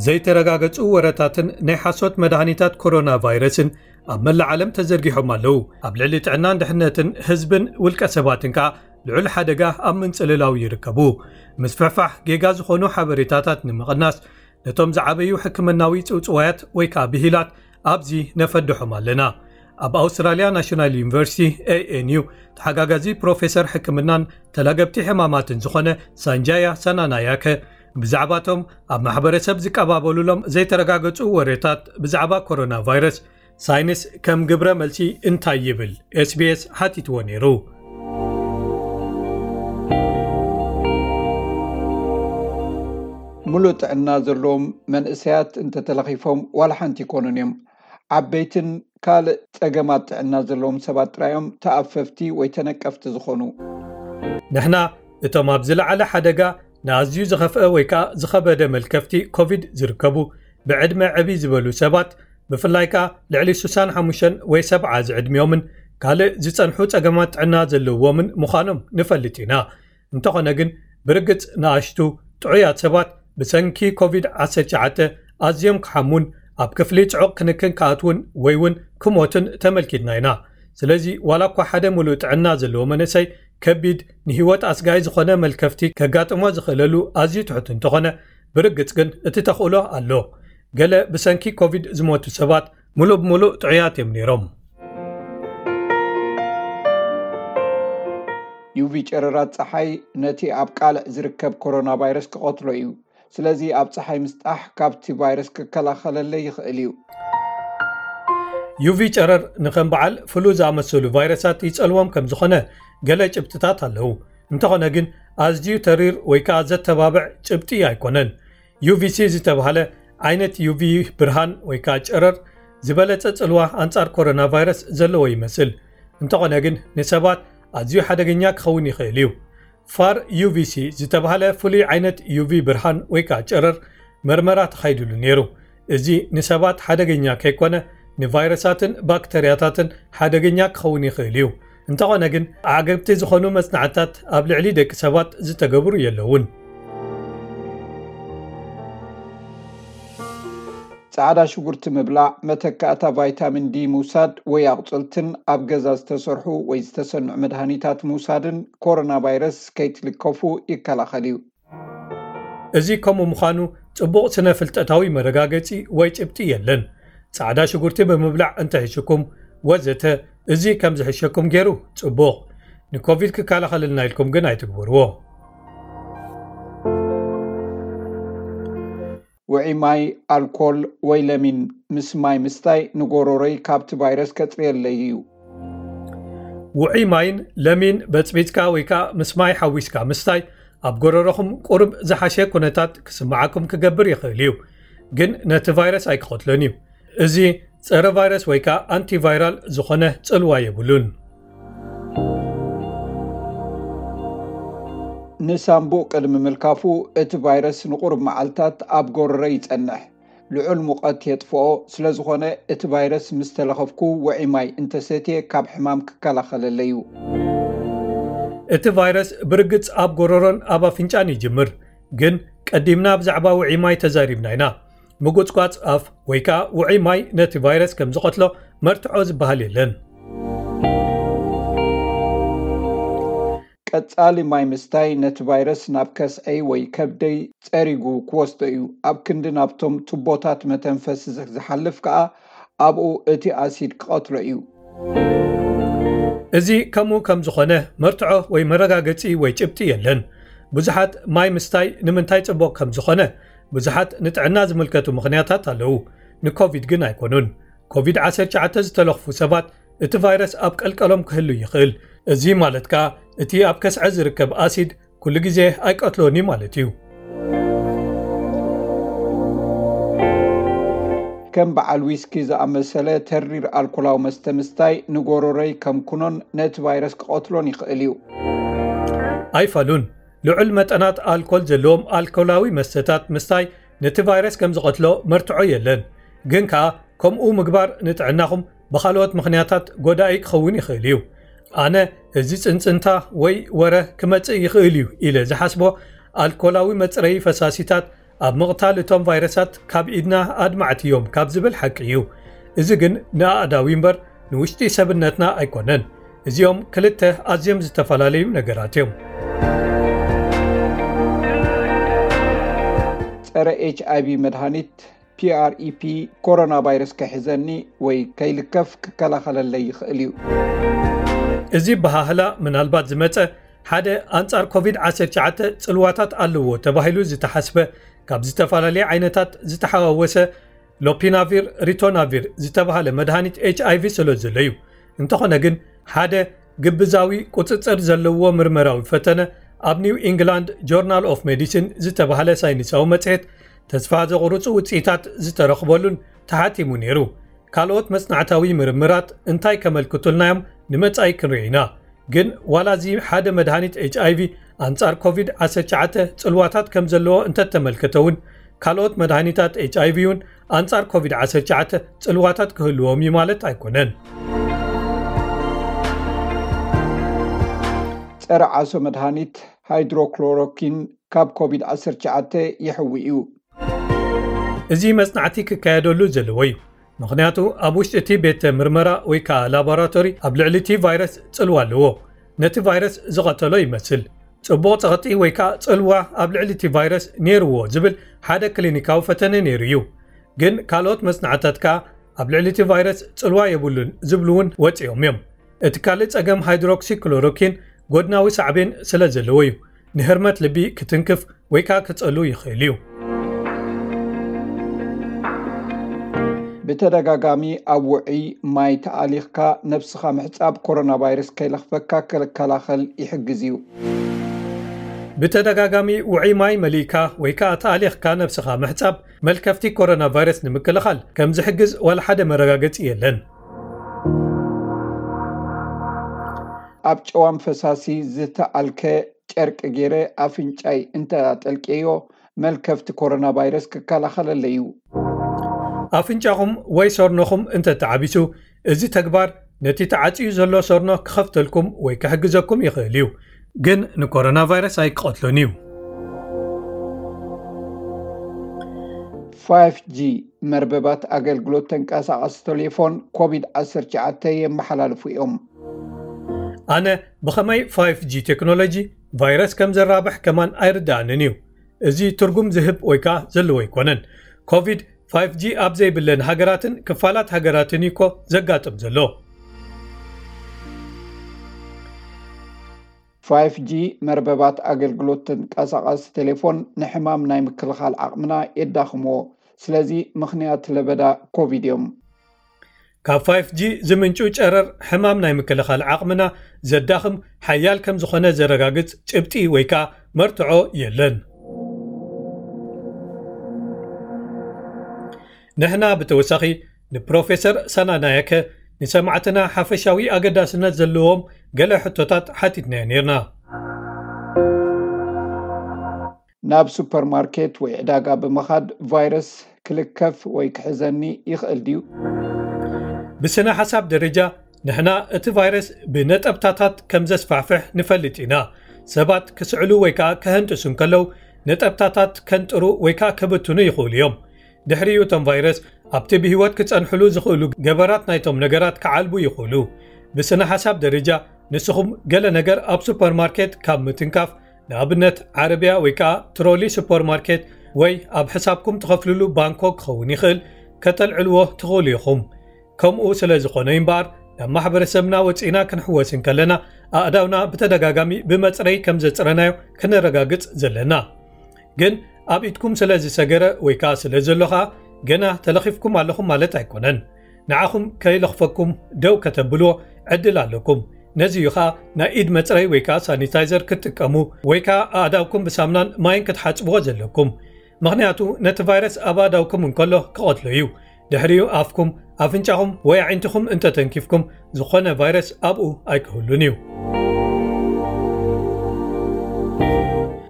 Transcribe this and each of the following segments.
ዘይተረጋገጹ ወረታትን ናይ ሓሶት መድሃኒታት ኮሮና ቫይረስን ኣብ መላእ ዓለም ተዘርጊሖም ኣለዉ። ኣብ ልዕሊ ጥዕናን ድሕነትን ህዝብን ውልቀ ሰባትን ከኣ ልዑል ሓደጋ ኣብ ምንጽልላው ይርከቡ። ምስፍሕፋሕ ጌጋ ዝኾኑ ሓበሬታታት ንምቕናስ፣ ነቶም ዝዓበዩ ሕክምናዊ ጽውጽዋያት ወይ ከኣ ብሂላት ኣብዚ ነፈድሖም ኣለና። ኣብ ኣውስትራልያ ናሽናል ዩኒቨርሲቲ፣ ኤ ኤን ዩ፣ ተሓጋጋዚ ፕሮፌሰር ሕክምናን ተላገብቲ ሕማማትን ዝኾነ ሳንጃያ ሳናናያከ፣ ብዛዕባቶም ኣብ ማሕበረሰብ ዝቀባበሉሎም ዘይተረጋገጹ ወሬታት ብዛዕባ ኮሮና ቫይረስ ሳይንስ ከም ግብረ መልሲ እንታይ ይብል? ኤስ ቢ ኤስ ሓቲትዎ ነይሩ። ምሉእ ጥዕና ዘለዎም መንእሰያት እንተተለኺፎም ዋላ ሓንቲ ይኮኑን እዮም። ዓበይትን ካልእ ጸገማት ጥዕና ዘለዎም ሰባት ጥራይ እዮም ተኣፈፍቲ ወይ ተነቀፍቲ ዝኾኑ። ንሕና እቶም ኣብ ዝለዓለ ሓደጋ ንኣዝዩ ዝኸፍአ ወይ ከኣ ዝኸበደ መልከፍቲ ኮቪድ ዝርከቡ ብዕድመ ዕብይ ዝበሉ ሰባት፣ ብፍላይ ከኣ ልዕሊ ስሳን ሓሙሽተን ወይ ሰብዓ ዝዕድሚኦምን ካልእ ዝጸንሑ ጸገማት ጥዕና ዘለዎምን ምዃኖም ንፈልጥ ኢና። እንተኾነ ግን፣ ብርግጽ ንኣሽቱ ጥዑያት ሰባት ብሰንኪ ኮቪድ ዓሰርተ ትሽዓተ ኣዝዮም ክሓሙን ኣብ ክፍሊ ጽዑቕ ክንክን ክኣትዉን ወይ እውን ክሞቱን ተመልኪትና ኢና። ስለዚ፣ ዋላ እኳ ሓደ ምሉእ ጥዕና ዘለዎ መንእሰይ ከቢድ፣ ንህይወት ኣስጋኢ ዝኾነ መልከፍቲ ከጋጥሞ ዝኽእለሉ ኣዝዩ ትሑት እንተኾነ፣ ብርግጽ ግን እቲ ተኽእሎ ኣሎ። ገለ ብሰንኪ ኮቪድ ዝሞቱ ሰባት ምሉእ ብምሉእ ጥዑያት እዮም ነይሮም። ዩ ቪ ጨረራት ጸሓይ ነቲ ኣብ ቃልዕ ዝርከብ ኮሮና ቫይረስ ክቐትሎ እዩ። ስለዚ ኣብ ጸሓይ ምስጣሕ ካብቲ ቫይረስ ክከላኸለለይ ይኽእል እዩ። ዩ ቪ ጨረር ንኸም በዓል ፍሉ ዝኣመሰሉ ቫይረሳት ይጸልዎም ከም ዝኾነ ገለ ጭብጥታት ኣለዉ። እንተኾነ ግን ኣዝዩ ተሪር ወይ ከኣ ዘተባብዕ ጭብጢ ኣይኮነን። ዩ ቪ ሲ ዝተባህለ ዓይነት ዩ ቪ ብርሃን ወይ ከኣ ጨረር ዝበለጸ ጽልዋ ኣንጻር ኮሮና ቫይረስ ዘለዎ ይመስል። እንተኾነ ግን ንሰባት ኣዝዩ ሓደገኛ ክኸውን ይኽእል እዩ። ፋር ዩ ቪ ሲ ዝተባህለ ፍሉይ ዓይነት ዩ ቪ ብርሃን ወይ ከኣ ጨረር መርመራ ተኻይድሉ ነይሩ። እዚ ንሰባት ሓደገኛ ከይኮነ ንቫይረሳትን ባክተርያታትን ሓደገኛ ክኸውን ይኽእል እዩ። እንተኾነ ግን ኣዕገብቲ ዝኾኑ መጽናዕትታት ኣብ ልዕሊ ደቂ ሰባት ዝተገብሩ የለውን። ጻዕዳ ሽጉርቲ ምብላዕ፣ መተካእታ ቫይታሚን ዲ ምውሳድ ወይ ኣቑጽልትን ኣብ ገዛ ዝተሰርሑ ወይ ዝተሰንዑ መድሃኒታት ምውሳድን ኮሮና ቫይረስ ከይትልከፉ ይከላኸል እዩ። እዚ ከምኡ ምዃኑ ጽቡቕ ስነ-ፍልጠታዊ መረጋገጺ ወይ ጭብጢ የለን። ጻዕዳ ሽጉርቲ ብምብላዕ እንተሒሽኩም ወዘተ፣ እዚ ከም ዝሕሸኩም ገይሩ ጽቡቕ። ንኮቪድ ክከላኸለልና ኢልኩም ግን ኣይትግበርዎ። ውዑይ ማይ፣ ኣልኮል ወይ ለሚን ምስ ማይ ምስታይ ንጎሮሮይ ካብቲ ቫይረስ ከጽርየለይ እዩ። ውዑይ ማይን ለሚን በጽቢጽካ ወይ ከኣ ምስ ማይ ሓዊስካ ምስታይ ኣብ ጎረሮኹም ቁሩብ ዝሓሸ ኩነታት ክስምዓኩም ክገብር ይኽእል እዩ፣ ግን ነቲ ቫይረስ ኣይክቐትሎን እዩ። እዚ ጸረ ቫይረስ ወይ ከኣ ኣንቲቫይራል ዝኾነ ጽልዋ የብሉን። ንሳምቡእ ቅድሚ ምልካፉ እቲ ቫይረስ ንቁሩብ መዓልታት ኣብ ጎረሮይ ይጸንሕ። ልዑል ሙቐት የጥፍኦ፣ ስለ ዝኾነ እቲ ቫይረስ ምስ ተለኸፍኩ ውዑይ ማይ እንተሰትየ ካብ ሕማም ክከላኸለለይ እዩ። እቲ ቫይረስ ብርግጽ ኣብ ጎረሮን ኣብ ኣፍንጫን ይጅምር፣ ግን ቀዲምና ብዛዕባ ውዑይ ማይ ተዛሪብና ኢና። ምጉጽጓጽ ኣፍ ወይ ከኣ ውዑይ ማይ ነቲ ቫይረስ ከም ዝቐትሎ መርትዖ ዝበሃል የለን። ቀጻሊ ማይ ምስታይ ነቲ ቫይረስ ናብ ከስዐይ ወይ ከብደይ ጸሪጉ ክወስዶ እዩ። ኣብ ክንዲ ናብቶም ቱቦታት መተንፈሲ ዝሓልፍ ከኣ ኣብኡ እቲ ኣሲድ ክቐትሎ እዩ። እዚ ከምኡ ከም ዝኾነ መርትዖ ወይ መረጋገጺ ወይ ጭብጢ የለን። ብዙሓት ማይ ምስታይ ንምንታይ ጽቡቕ ከም ዝኾነ ብዙሓት ንጥዕና ዝምልከቱ ምኽንያታት ኣለዉ። ንኮቪድ ግን ኣይኮኑን። ኮቪድ ዓሰርተ ትሽዓተ ዝተለኽፉ ሰባት እቲ ቫይረስ ኣብ ቀልቀሎም ክህሉ ይኽእል። እዚ ማለት ከኣ እቲ ኣብ ከስዐ ዝርከብ ኣሲድ ኩሉ ግዜ ኣይቀትሎን እዩ ማለት እዩ። ከም በዓል ዊስኪ ዝኣመሰለ ተሪር ኣልኮላዊ መስተ ምስታይ ንጎሮሮይ ከም ኩኖን ነቲ ቫይረስ ክቐትሎን ይኽእል እዩ። ኣይፋሉን። ልዑል መጠናት ኣልኮል ዘለዎም ኣልኮላዊ መስተታት ምስታይ ነቲ ቫይረስ ከም ዝቐትሎ መርትዖ የለን። ግን ከኣ ከምኡ ምግባር ንጥዕናኹም ብኻልኦት ምኽንያታት ጎዳኢ ክኸውን ይኽእል እዩ። ኣነ እዚ ጽንጽንታ ወይ ወረ ክመጽእ ይኽእል እዩ ኢለ ዝሓስቦ ኣልኮላዊ መጽረዪ ፈሳሲታት ኣብ ምቕታል እቶም ቫይረሳት ካብ ኢድና ኣድማዕቲ እዮም ካብ ዝብል ሓቂ እዩ። እዚ ግን ንኣእዳዊ እምበር ንውሽጢ ሰብነትና ኣይኮነን። እዚኦም ክልተ ኣዝዮም ዝተፈላለዩ ነገራት እዮም። ጸረ ኤች ኣይቪ መድሃኒት ፒኣርኢፒ ኮሮና ቫይረስ ከሕዘኒ ወይ ከይልከፍ ክከላኸለለይ ይኽእል እዩ። እዚ በሃህላ ምናልባት ዝመጸ ሓደ ኣንጻር ኮቪድ ዓሰርተ ትሽዓተ ጽልዋታት ኣለዎ ተባሂሉ ዝተሓስበ ካብ ዝተፈላለየ ዓይነታት ዝተሓዋወሰ ሎፒናቪር ሪቶናቪር ዝተባሃለ መድሃኒት ኤች ኣይቪ ስለ ዘሎ እዩ። እንተኾነ ግን ሓደ ግብዛዊ ቁጽጽር ዘለዎ ምርመራዊ ፈተነ ኣብ ኒው ኢንግላንድ ጆርናል ኦፍ ሜዲሲን ዝተባሃለ ሳይንሳዊ መጽሔት ተስፋ ዘቑርጹ ውጽኢታት ዝተረኽበሉን ተሓቲሙ ነይሩ። ካልኦት መጽናዕታዊ ምርምራት እንታይ ከመልክቱልና እዮም ንመጻኢ ክንርኢ ኢና። ግን ዋላ እዚ ሓደ መድሃኒት ኤች ኣይቪ ኣንጻር ኮቪድ ዓሰርተ ትሽዓተ ጽልዋታት ከም ዘለዎ እንተተመልከተ እውን ካልኦት መድሃኒታት ኤች ኣይቪ እውን ኣንጻር ኮቪድ ዓሰርተ ትሽዓተ ጽልዋታት ክህልዎም እዩ ማለት ኣይኮነን። ጸረ ዓሶ መድሃኒት ሃይድሮክሎሮኪን ካብ ኮቪድ ዓሰርተ ትሽዓተ ይሕዊ እዩ። እዚ መጽናዕቲ ክካየደሉ ዘለዎ እዩ። ምኽንያቱ ኣብ ውሽጢ እቲ ቤተ ምርመራ ወይ ከዓ ላቦራቶሪ ኣብ ልዕሊ እቲ ቫይረስ ጽልዋ ኣለዎ። ነቲ ቫይረስ ዝቐተሎ ይመስል። ጽቡቕ ጸቕጢ ወይ ከዓ ጽልዋ ኣብ ልዕሊ እቲ ቫይረስ ነይርዎ ዝብል ሓደ ክሊኒካዊ ፈተነ ነይሩ እዩ። ግን ካልኦት መጽናዕታት ከዓ ኣብ ልዕሊ እቲ ቫይረስ ጽልዋ የብሉን ዝብሉ እውን ወጺኦም እዮም። እቲ ካልእ ጸገም ሃይድሮክሲክሎሮኪን ጎድናዊ ሳዕቤን ስለ ዘለዎ እዩ። ንህርመት ልቢ ክትንክፍ ወይ ከዓ ክጸሉ ይኽእል እዩ። ብተደጋጋሚ ኣብ ውዑይ ማይ ተኣሊኽካ ነብስኻ ምሕጻብ ኮሮና ቫይረስ ከይለኽፈካ ክከላኸል ይሕግዝ እዩ። ብተደጋጋሚ ውዑይ ማይ መሊእካ ወይ ከዓ ተኣሊኽካ ነብስኻ ምሕጻብ መልከፍቲ ኮሮና ቫይረስ ንምክልኻል ከም ዝሕግዝ ዋላ ሓደ መረጋገጺ የለን። ኣብ ጨዋም ፈሳሲ ዝተኣልከ ጨርቂ ገይረ ኣፍንጫይ እንተ ኣጠልቄዮ መልከፍቲ ኮሮና ቫይረስ ክከላኸለለይ እዩ። ኣፍንጫኹም ወይ ሰርኖኹም እንተ ተዓቢሱ፣ እዚ ተግባር ነቲ ተዓጽዩ ዘሎ ሰርኖ ክኸፍተልኩም ወይ ክሕግዘኩም ይኽእል እዩ፣ ግን ንኮሮና ቫይረስ ኣይክቐትሎን እዩ። ፋይፍ ጂ መርበባት ኣገልግሎት ተንቀሳቐሲ ቴሌፎን ኮቪድ ዓሰርተ ትሽዓተ የመሓላልፉ እዮም። ኣነ ብኸመይ ፋይፍ ጂ ቴክኖሎጂ ቫይረስ ከም ዘራብሕ ከማን ኣይርድኣንን እዩ። እዚ ትርጉም ዝህብ ወይ ከዓ ዘለዎ ኣይኮነን። ኮቪድ ፋይፍ ጂ ኣብ ዘይብለን ሃገራትን ክፋላት ሃገራትን እዩ እኮ ዘጋጥም ዘሎ። ፋይፍ ጂ መርበባት ኣገልግሎት ተንቀሳቐሲ ቴሌፎን ንሕማም ናይ ምክልኻል ዓቕምና የዳኽምዎ። ስለዚ ምኽንያት ለበዳ ኮቪድ እዮም። ካብ ፋይፍ ጂ ዝምንጩ ጨረር ሕማም ናይ ምክልኻል ዓቕምና ዘዳኽም ሓያል ከም ዝኾነ ዘረጋግጽ ጭብጢ ወይ ከዓ መርትዖ የለን። ንሕና ብተወሳኺ ንፕሮፌሰር ሳናናያከ ንሰማዕትና ሓፈሻዊ ኣገዳስነት ዘለዎም ገለ ሕቶታት ሓቲትናዮ ነይርና። ናብ ሱፐርማርኬት ወይ ዕዳጋ ብምኻድ ቫይረስ ክልከፍ ወይ ክሕዘኒ ይኽእል ድዩ? ብስነ ሓሳብ ደረጃ ንሕና እቲ ቫይረስ ብነጠብታታት ከም ዘስፋሕፍሕ ንፈልጥ ኢና። ሰባት ክስዕሉ ወይ ከዓ ክህንጥሱ እንከለዉ ነጠብታታት ከንጥሩ ወይ ከዓ ክብትኑ ይኽእሉ እዮም። ድሕሪኡ እቶም ቫይረስ ኣብቲ ብህይወት ክጸንሕሉ ዝኽእሉ ገበራት ናይቶም ነገራት ክዓልቡ ይኽእሉ። ብስነ ሓሳብ ደረጃ ንስኹም ገለ ነገር ኣብ ሱፐርማርኬት ካብ ምትንካፍ ንኣብነት ዓረብያ ወይ ከዓ ትሮሊ ሱፐርማርኬት ወይ ኣብ ሕሳብኩም ትኸፍልሉ ባንኮ ክኸውን ይኽእል ከተልዕልዎ ትኽእሉ ኢኹም። ከምኡ ስለ ዝኾነ እምበኣር ናብ ማሕበረሰብና ወፂእና ክንሕወስ እንከለና ኣእዳውና ብተደጋጋሚ ብመፅረይ ከም ዘፅረናዮ ክነረጋግፅ ዘለና። ግን ኣብ ኢድኩም ስለ ዝሰገረ ወይ ከዓ ስለ ዘሎ ከዓ ገና ተለኺፍኩም ኣለኹም ማለት ኣይኮነን። ንዓኹም ከይለኽፈኩም ደው ከተብልዎ ዕድል ኣለኩም። ነዚ እዩ ከዓ ናይ ኢድ መፅረይ ወይ ከዓ ሳኒታይዘር ክትጥቀሙ ወይ ከዓ ኣእዳውኩም ብሳምናን ማይን ክትሓፅብዎ ዘለኩም። ምኽንያቱ ነቲ ቫይረስ ኣብ ኣእዳውኩም እንከሎ ክቐትሎ እዩ። ድሕሪኡ ኣፍኩም፣ ኣፍንጫኹም ወይ ኣዒንትኹም እንተተንኪፍኩም ዝኾነ ቫይረስ ኣብኡ ኣይክህሉን እዩ።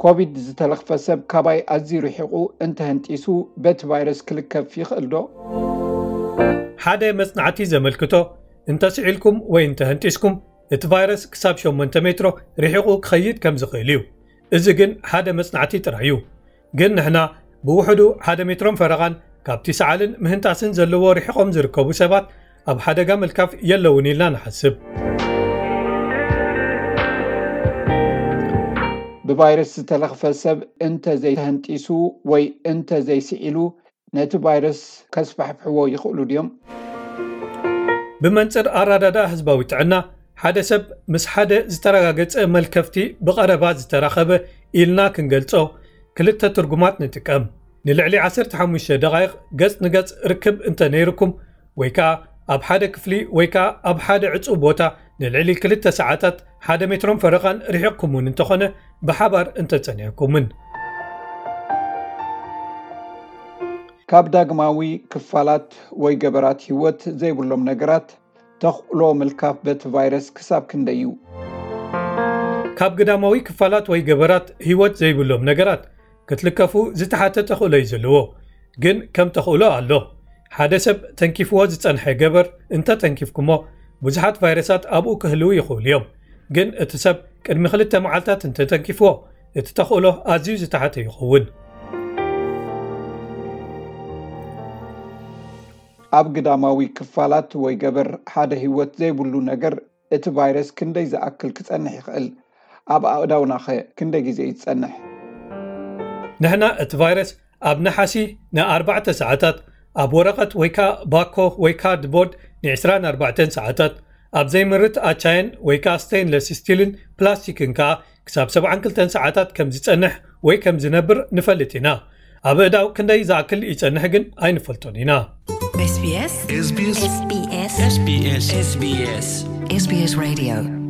ኮቪድ ዝተለኽፈ ሰብ ካባይ ኣዝዩ ርሒቑ እንተህንጢሱ በቲ ቫይረስ ክልከፍ ይኽእል ዶ? ሓደ መጽናዕቲ ዘመልክቶ እንተስዒልኩም ወይ እንተህንጢስኩም እቲ ቫይረስ ክሳብ ሸሞንተ ሜትሮ ርሒቑ ክኸይድ ከም ዝኽእል እዩ። እዚ ግን ሓደ መጽናዕቲ ጥራይ እዩ። ግን ንሕና ብውሕዱ ሓደ ሜትሮን ፈረቓን ካብቲ ሰዓልን ምህንጣስን ዘለዎ ርሒቖም ዝርከቡ ሰባት ኣብ ሓደጋ ምልካፍ የለውን ኢልና ንሓስብ። ብቫይረስ ዝተለኽፈ ሰብ እንተ ዘይተህንጢሱ ወይ እንተ ዘይስዒሉ ነቲ ቫይረስ ከስፋሕፍሕዎ ይኽእሉ ድዮም? ብመንጽር ኣረዳድኣ ህዝባዊ ጥዕና፣ ሓደ ሰብ ምስ ሓደ ዝተረጋገጸ መልከፍቲ ብቐረባ ዝተራኸበ ኢልና ክንገልጾ ክልተ ትርጉማት ንጥቀም። ንልዕሊ ዓሰርተ ሓሙሽተ ደቓይቕ ገጽ ንገጽ ርክብ እንተ ነይርኩም፣ ወይ ከኣ ኣብ ሓደ ክፍሊ ወይ ከኣ ኣብ ሓደ ዕጹው ቦታ ንልዕሊ ክልተ ሰዓታት ሓደ ሜትሮን ፈረቓን ርሒቕኩም እውን እንተኾነ ብሓባር እንተጸኒሕኩምን። ካብ ዳግማዊ ክፋላት ወይ ገበራት ህይወት ዘይብሎም ነገራት ተኽእሎ ምልካፍ በቲ ቫይረስ ክሳብ ክንደይ እዩ? ካብ ግዳማዊ ክፋላት ወይ ገበራት ህይወት ዘይብሎም ነገራት ክትልከፉ ዝተሓተ ተኽእሎ እዩ ዘለዎ። ግን ከም ተኽእሎ ኣሎ። ሓደ ሰብ ተንኪፍዎ ዝጸንሐ ገበር እንተ ተንኪፍኩሞ፣ ብዙሓት ቫይረሳት ኣብኡ ክህልዉ ይኽእሉ እዮም። ግን እቲ ሰብ ቅድሚ ክልተ መዓልታት እንተ ተንኪፍዎ፣ እቲ ተኽእሎ ኣዝዩ ዝተሓተ ይኸውን። ኣብ ግዳማዊ ክፋላት ወይ ገበር ሓደ ህይወት ዘይብሉ ነገር እቲ ቫይረስ ክንደይ ዝኣክል ክጸንሕ ይኽእል? ኣብ ኣእዳውናኸ ክንደይ ግዜ እዩ ዝጸንሕ? ንሕና እቲ ቫይረስ ኣብ ነሓሲ ንኣርባዕተ ሰዓታት፣ ኣብ ወረቐት ወይ ከኣ ባኮ ወይ ካርድቦርድ ን24 ሰዓታት፣ ኣብ ዘይምርት ኣቻየን ወይ ከኣ ስቴንለስ ስቲልን ፕላስቲክን ከኣ ክሳብ ሰብዓን ክልተን ሰዓታት ከም ዝጸንሕ ወይ ከም ዝነብር ንፈልጥ ኢና። ኣብ ኣእዳው ክንደይ ዝኣክል ይጸንሕ ግን ኣይንፈልጦን ኢና። SBS SBS SBS SBS SBS Radio